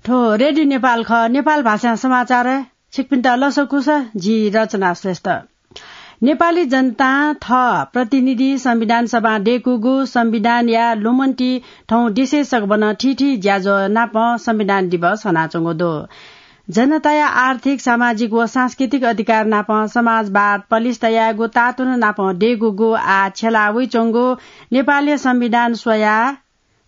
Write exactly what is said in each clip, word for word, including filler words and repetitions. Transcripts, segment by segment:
थ्व रेडियो नेपाल खः, नेपाल भाषां समाचार। छिकपिन्त लसकुस, जि रचना श्रेष्ठ। नेपाली जनतां थः प्रतिनिधि संविधान सभां दय्कूगु संविधानया लुमन्ति थौं देशय् सकभनं थीथी ज्याझ्वः नाप संविधान दिवस हनाच्वंगु दु। जनताया आर्थिक, सामाजिक व सांस्कृतिक अधिकार नाप समाजवाद पलिस्था यायेगु तातुना नाप दय्कूगु आः छ्यला वइच्वंगु नेपालया संविधान स्वयाः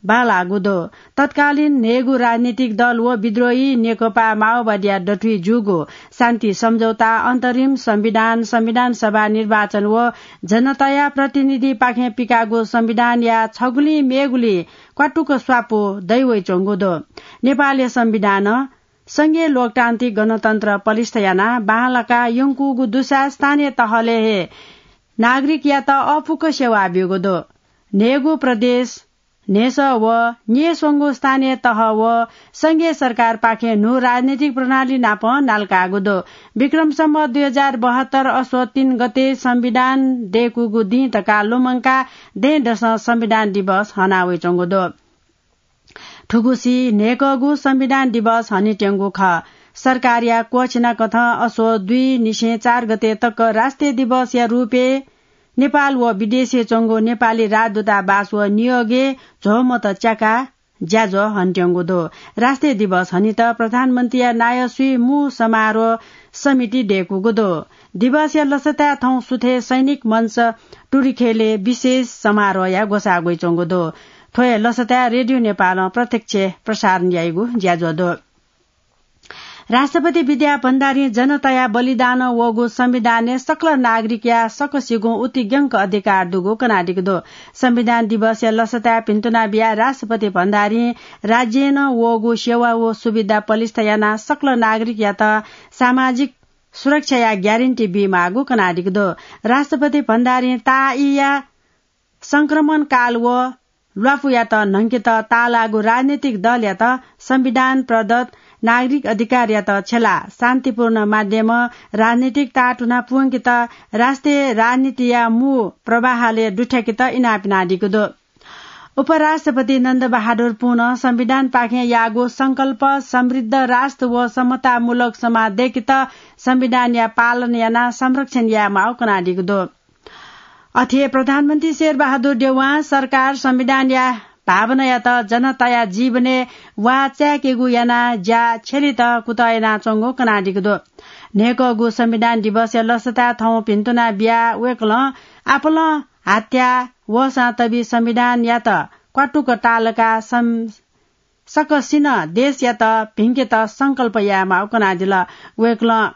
बांलाःगु दु। तत्कालीन न्हय्गू राजनीतिक दल व विद्रोही नेकपा माओवादीया दथुइ जूगु शान्ति सम्झौता, अन्तरिम संविधान, संविधान सभा निर्वाचन व जनताया प्रतिनिधिपाखें पिकाःगु संविधानया छगुलिं मेगुलिं क्वातुक स्वापू दइ वइच्वंगु दु। नेपालया संविधानं संघीय लोकतान्त्रिक गणतन्त्र पलिस्था यानाः बांलाका यंकूगु दुसा स्थानीय तहलय् हे नागरिकयात अःपुक सेवा ब्यूगु दु। न्हय्गू प्रदेश, न्हय्सः व न्यय्स्वंगू स्थानीय तह व संघीय सरकारपाखें न्हू राजनीतिक प्रणाली नाप नालाकाःगु दु। विक्रम सम्वत दुई हजार बहत्तर असोज तीन गते संविधान दय्कूगु दिं धकाः लुमंकाः दँय्दसं संविधान दिवस हना वइच्वंगु दु। थुगुसी न्हय्कःगु संविधान दिवस हनेत्यंगु खः। सरकारया क्वःछिनाकथं असोज दुई निसें चार गते तक राष्ट्रिय दिवसया रूपय् नेपाल व विदेशय् च्वंगु नेपाली राजदूतावास व नियोगय् झ्वःमत च्याकाः ज्याझ्वः हनेत्यंगु दु। राष्ट्रिय दिवस हनेत प्रधानमन्त्रीया नायः स्वीमूः समारोह समिति दय्कूगु दु। दिवसया लसताय् थौं सुथय् सैनिक मञ्च टुरिखेलय् विशेष समारोहया ग्वसाः ग्वइच्वंगु दु। थ्व हे लसताय् रेडियो नेपालं प्रत्यक्ष प्रसारण याइगु ज्याझ्वः दु। राष्ट्रपति विद्या भण्डारीं जनताया बलिदानं वःगु संविधानय् सकल नागरिकया सकसिगुं उतिग्यंक अधिकार दुगु कनादीगु दु। संविधान दिवसया लसताय् भिन्तुना बियाः राष्ट्रपति भण्डारीं राज्यय् नं वःगु सेवा व सुविधा पलिस्था यानाः सकल नागरिकयात सामाजिक सुरक्षाया ग्यारेन्टी बीमाःगु कनादीगु दु। राष्ट्रपति भण्डारीं ताःईया संक्रमण काल व ल्वापुयात न्हंकेत ताःलाःगु राजनीतिक दलयात संविधान प्रदत्त नागरिक अधिकारयात छ्यलाः शान्तिपूर्ण माध्यमं राजनीतिक ताःतुना पुवंकेत राष्ट्रिय राजनीतिया मू प्रवाहलय् दुथ्याकेत इनाप यानादीगु दु। उपराष्ट्रपति नन्द बहादुर पुनं संविधानपाखें याःगु संकल्प समृद्ध राष्ट्र व समतामूलक समाज दय्केत संविधानया पालन यानाः संरक्षण यायेमाःगु कनादीगु दु। अथे प्रधानमन्त्री शेरबहादुर देउवां सरकार संविधानया भावनायात जनताया जीवनय् वाः चाय्केगु यानाः ज्या छ्यलेत कुतः यानाच्वंगु कनादीगु दु। न्हय्कःगु संविधान दिवसया लसताय् थौं भिन्तुना बियाः वय्कलं आपालं हात्या वःसां तबि संविधानयात क्वातुक तालका सं-, सकसिनं देशयात भिंकेत संकल्प यायेमाःगु कनादिल। वय्कलं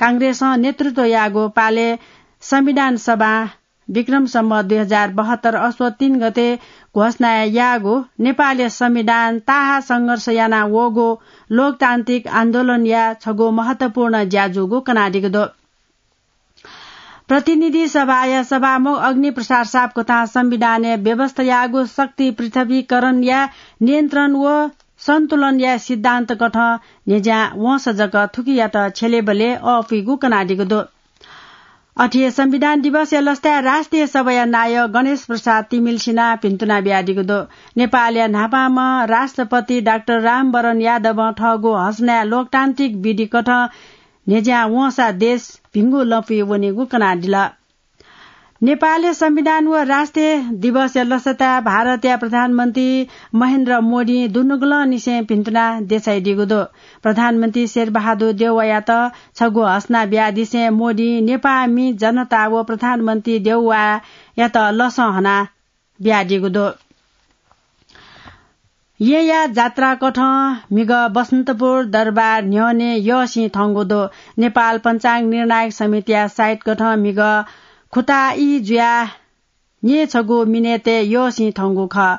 कांग्रेसं नेतृत्व याःगु पालय् संविधान सभां विक्रम सम्वत दुई हजार बहत्तर असोज तीन गते घोषणा याःगु नेपालया संविधान ताहाः संघर्ष याना वःगु लोकतान्त्रिक आन्दोलनया छगू महत्वपूर्ण ज्या जूगु कनादीगु दु। प्रतिनिधि सभाया सभामुख अग्नि प्रसाद सापकोथां संविधानय् व्यवस्था याःगु शक्ति पृथ्वीकरणया नियन्त्रण व सन्तुलनया सिद्धान्त कथं न्ह्यज्यां वंसा जक थुकियात छ्यलेबलय् अःपुइगु कनादीगु दु। अथे संविधान दिवसया लसताय् राष्ट्रिय सभाया नायः गणेश प्रसाद तिमिल सिनाः भिन्तुना बियादीगु दु। नेपालया न्हापांम्ह राष्ट्रपति डाक्टर रामवरण यादवं थःगु हसनाय् लोकतान्त्रिक विधि कथं न्ह्यज्यां वंसा देश भिंगु लँपुइ वनीगु कनादिल। नेपालया संविधान व राष्ट्रिय दिवसया लसताय् भारतया प्रधानमन्त्री महेन्द्र मोदीं दुनुगलंनिसें भिन्तुना देछाइदीगु दु। प्रधानमन्त्री शेरबहादुर देउवायात छगू हसना बियादिसें मोदीं नेपाःमि जनता व प्रधानमन्त्री देउवायात लसं हना बियादीगु दु। येँया जात्रा कथं म्हिगः बसन्तपुर दरबार न्ह्यःने यःसिं थंगु दु। नेपाल पञ्चाङ्ग निर्णायक समितिया साइत कथं म्हिगः खुताई जुयाः न्येछगू मिनेतय् यःसिं थंगु खः।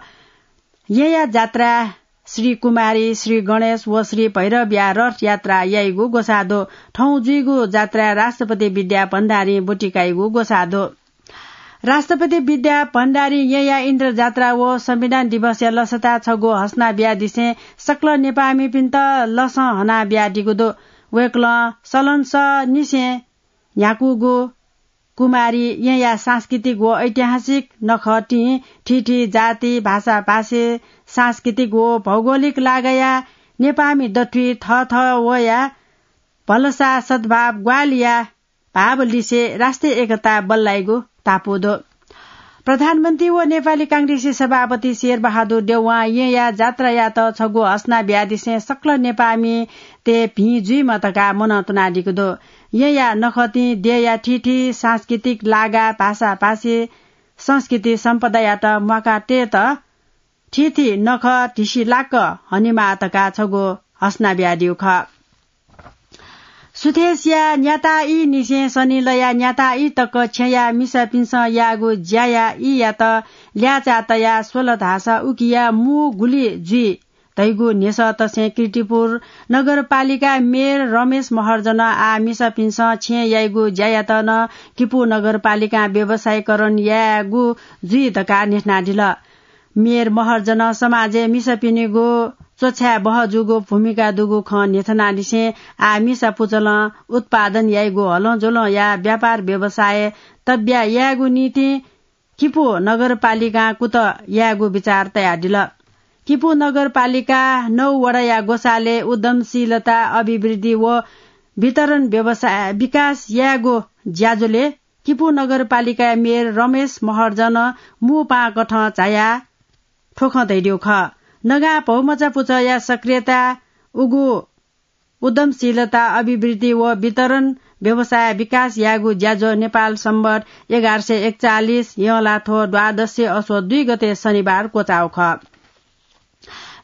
येँया जात्राय् श्री कुमारी, श्री गणेश व श्री भैरवया रथ यात्रा याइगु ग्वसाः दु। थौं जुइगु जात्राय् राष्ट्रपति विद्या भण्डारीं ब्वति काइगु ग्वसाः दु। राष्ट्रपति विद्या भण्डारीं येँया इन्द्र जात्रा व संविधान दिवसया लसताय् छगू हसना बियादिसें सकल नेपाःमिपिन्त लसं हना बियादीगु दु। वय्कलं सलंसःनिसें न्ह्याकूगु कुमारी येँया सांस्कृतिक व ऐतिहासिक नखःतिं थीथी जाति, भाषा, भाषे, सांस्कृतिक व भौगोलिक लागाया नेपाःमि दथुइ थःथः वया भलसा सद्भाव ग्वाहालिया भाव लिसे राष्ट्रिय एकता बल्लाइगु तापु दु। प्रधानमन्त्री व नेपाली कांग्रेसी सभापति शेरबहादुर देउवां येँया जात्रायात छगू हसना बियादिसें सकल नेपाःमितय् भिं जुइमा धकाः मनंतुनादीगु दु। येँया नखःतिं देय्‌या थीथी सांस्कृतिक लागा, भाषाभाषी, संस्कृति सम्पदायात म्वाकातयेत थीथी नखः धिसिलाक्क हनेमाः धकाः छगू हसना बियादीगु खः। सुथय्‌सिया न्याताःईनिसें सनिलया न्याताःई तक छेँया मिसापिन्सं याःगु ज्याया ईयात ल्याःचाः तयाः स्वल धाःसा उकिया मू गुलि जुइ धइगु न्ह्यसः तसें कीर्तिपुर नगरपालिका मेयर रमेश महर्जनं आः मिसापिन्सं छेँय् याइगु ज्यायात नं किपू नगरपालिकां व्यवसायीकरण यायेगु जुइ धकाः न्ह्यथनादिल। मेयर महर्जनं समाजय् मिसापिनिगु च्वछाय् बहः जूगु भूमिका दुगु खँ न्ह्यथनादिसें आः मिसा पुचलं उत्पादन याइगु हलंज्वलंया व्यापार व्यवसाय तब्या यायेगु निंतिं किपू नगरपालिकां कुतः यायेगु विचार तयादिल। किपू नगरपालिका नौ वडाया ग्वसालय् उद्यमशीलता अभिवृद्धि व वितरण व्यवसाय विकास यायेगु ज्याझ्वलय् किपू नगरपालिकाया मेयर रमेश महर्जनं मू पाहां कथं झायाः थ्व खँ धयादीगु खः। नगां भौमचा पुचःया सक्रियता, उगु उद्यमशीलता अभिवृद्धि व वितरण व्यवसाय विकास यायेगु ज्याझ्वः नेपाल संवत् एघार सय एकचालिस यंलाथ्व द्वादश अश्व दुई गते शनिबार क्वचाःगु खः।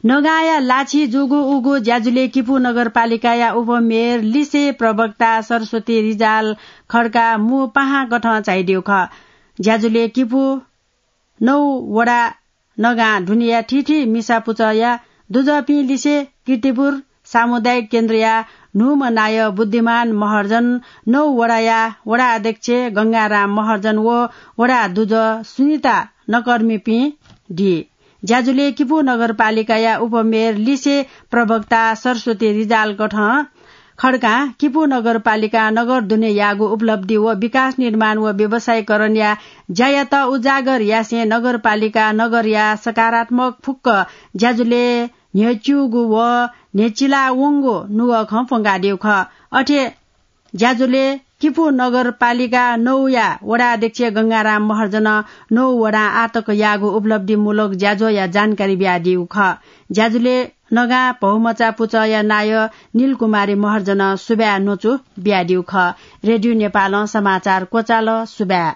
नगांया लाछि जूगु उगु ज्याझ्वलय् किपू नगरपालिकाया उपमेयर लिसे प्रवक्ता सरस्वती रिजाल खड्का मू पाहां कथं झायादीगु खः। ज्याझ्वलय् किपू नौ वडा नगां दुनेया थीथी मिसा पुचःया दुजःपिं लिसे कीर्तिपुर सामुदायिक केन्द्रया न्हूम्ह नायः बुद्धिमान महर्जन, नौ वडाया वडा अध्यक्ष गंगाराम महर्जन व वडा दुजः सुनिता नकर्मीपिं दी। ज्याझ्वलय् किपू नगरपालिकाया उपमेयर लिसे प्रवक्ता सरस्वती रिजाल कथं खड्कां किपू नगरपालिकां नगर दुने याःगु उपलब्धि व विकास निर्माण व व्यवसायीकरणया ज्यायात उजागर यासें नगरपालिका नगरया सकारात्मक फुक्क ज्याझ्वलय् न्ह्यच्यूगु व न्ह्यचिला वंगु नुगः खँ प्वंकादीगु खः। अथे ज्याझ्वलय् किपू नगरपालिका नौया वडा अध्यक्ष गंगाराम महर्जनं नौ वडां आःतक याःगु उपलब्धिमूलक ज्याझ्वःया जानकारी बियादीगु खः। ज्याझ्वलय् नगां भौमचा पुचःया नायः नीलकुमारी महर्जनं सुभाय् न्वचु बियादीगु खः। रेडियो नेपालं समाचार क्वचाल। सुभाय्।